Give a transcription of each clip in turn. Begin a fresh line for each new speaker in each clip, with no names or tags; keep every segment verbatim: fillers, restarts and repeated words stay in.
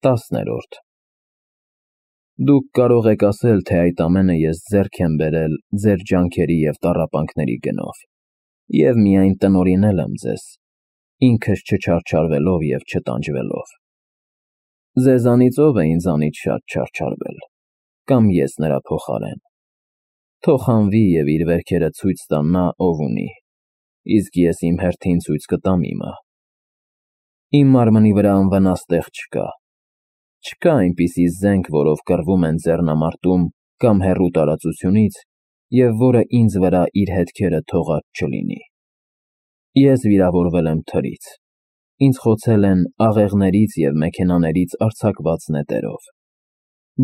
Տասներորդ Դուք կարող եք ասել, թե այդ ամենը ես ձեռք եմ բերել ձեր ջանքերի և տառապանքների գնով, և միայն տնօրինել եմ ձեզ, ինքս չչարչարվելով և չտանջվելով։ Ձեզանից ո՞վ է ինձանից շատ չարչարվել, կամ ես նրա փոխարեն։ Թող հանվի և իր վերքերը ցույց տա նա, ով ունի, իսկ ես իմ հերթին ցույց կտամ իմը։ Իմ մարմնի վրա անվնաս տեղ չկա։ Չկա այնպիսի զենք, որով կռվում են ձեռնամարտում կամ հեռու տարածությունից, և որը ինձ վրա իր հետքերը թողած չլինի։ Ես վիրավորվել եմ թրից, ինձ խոցել են աղեղներից և մեքենաներից արձակված նետերով,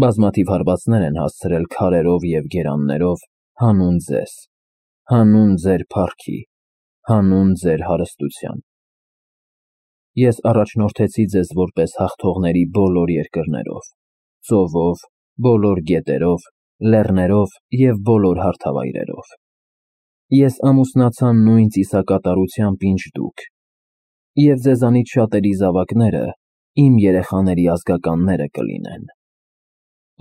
բազմաթիվ հարվածներ են հասցրել քարերով և գերաններով, հանուն ձեզ, հանուն ձեր փառքի, հանուն ձեր հարստության։ Ես առաջնորդեցի ձեզ որպես հաղթողների բոլոր երկրներով, ծովով, բոլոր գետերով, լեռներով և բոլոր հարթավայրերով։ Ես ամուսնացա նույն ծիսակատարությամբ, ինչ դուք, և ձեզանից շատերի զավակները իմ երեխաների ազգականները կլինեն։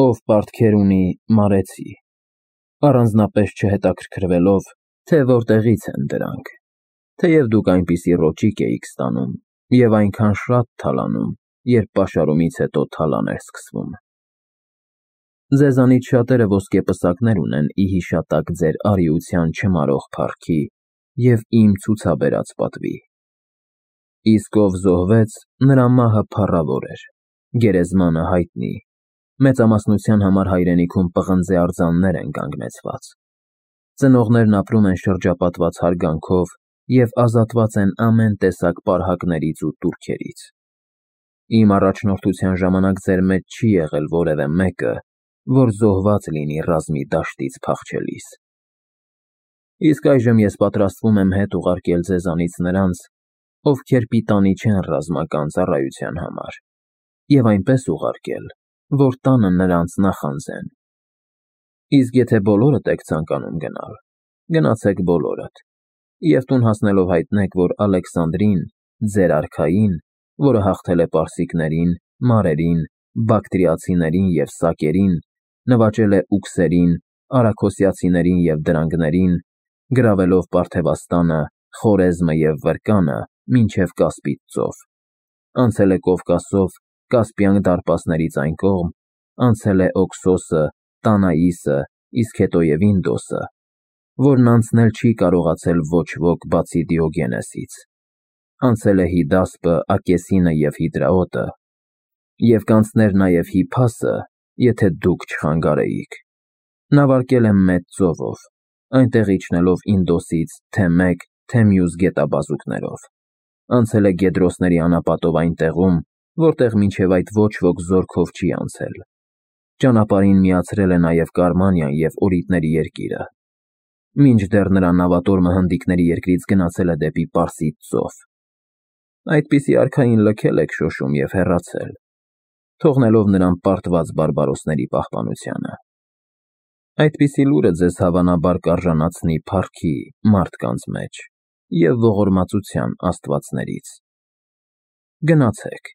Ով պարտքեր ունի, մարեցի, առանձնապես չհետաքրքրվելով, թե որտեղից են դրանք, թեև դուք այնպիսի ռոճիկ էիք ստանում և այնքան շատ թալանում, երբ պաշարումից հետո թալան էր սկսվում։ Ձեզանից շատերը ոսկեպսակներ ունեն ի հիշատակ ձեր արիության չմարող փառքի և իմ ցուցաբերած պատվի։ Իսկ ով զոհվեց, նրա մահը փառավոր էր, գերեզմանը հայտնի, մեծամասնության համար հայրենիքում պղնձե արձաններ են կանգնեցված։ Ծնողներն ապրում են շրջապատված հարգանքով և ազատված են ամեն տեսակ պարհակներից ու տուրքերից։ Իմ առաջնորդության ժամանակ ձեր մեջ չի եղել որևէ մեկը, որ զոհված լինի ռազմի դաշտից փախչելիս։ Իսկ այժմ ես պատրաստվում եմ հետ ուղարկել ձեզանից նրանց, ովքեր պիտանի չեն ռազմական ծառայության համար, և այնպես ուղարկել, որ տանը նրանց նախանձեն։ Իսկ եթե բոլորդ եք ցանկանում գնալ, գնացեք բոլորդ, և տուն հասնելով հայտնեք, որ Ալեքսանդրին, ձեր արքային, որը հաղթել է պարսիկներին, մարերին, բակտրիացիներին և սակերին, նվաճել է ուքսերին, արաքոսիացիներին և դրանգներին, գրավելով Պարթևաստանը, Խորեզմը և Վրկանը մինչև Կասպից ծով, անցել է Կովկասով Կասպյան դարպասներից այն կողմ, անցել է Օքսոսը, Տանաիսը, իսկ հետո և Ինդոսը, որն անցնել չի կարողացել ոչ ոք բացի Դիոգենեսից, անցել է Հիդասպը, Ակեսինը և Հիդրաոտը, և կանցներ նաև Հիփասը, եթե դուք չխանգարեիք, նավարկել է Մեծ ծովով, այնտեղ իջնելով Ինդոսից թե մեկ, թե մյուս գետաբազուկներով, անցել է Գեդրոսների անապատով այն տեղում, որտեղ մինչև այդ ոչ ոք զորքով չի անցել, ճանապարհին միացրել է նաև Կարմանիան և Օրիտների երկիրը, մինչդեռ նրա նավատորմը հնդիկների երկրից գնացել է դեպի Պարսից ծով։ Այդպիսի արքային լքել եք շոշում և հեռացել, թողնելով նրան պարտված բարբարոսների պահպանությանը։ Այդպիսի լուրը ձեզ հավանաբար կարժանացնի փառքի մարդկանց մեջ և ողորմածության աստվածներից։ Գնացեք,